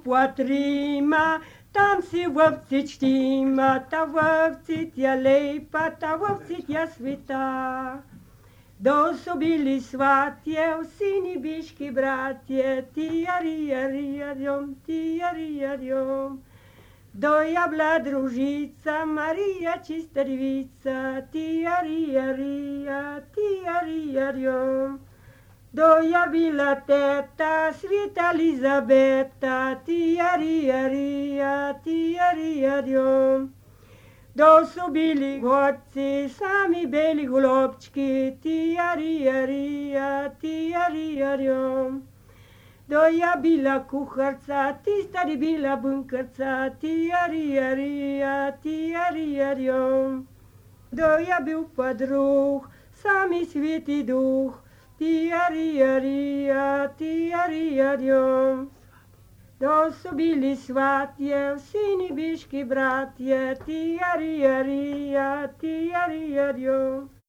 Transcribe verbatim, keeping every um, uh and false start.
poatrima, tam si vopsit štima, ta vopsit je lepa, ta vopsit je sveta. Do su bili svatje, u sini biški bratje, tijarijarijom, tijarijarijom. Do ja bila družica, Marija čista devica, tijarijarija, tijarijarijom. Do ja bila teta, sveta Elizabeta, tijarijarija, tijarijarijom. Do su bili gorci, sami beli golobčki, tijarijarija, tijarijarijom. Do ja bila kuharca, ti stari bila bunkarca, tijarijarija, tijarijarijom. Do ja bil pa druh, sami sveti duh, tijarijarija, tijarijarijom. Do su bili svatje, sini biški bratje, tijarijarija, tijarijarijom.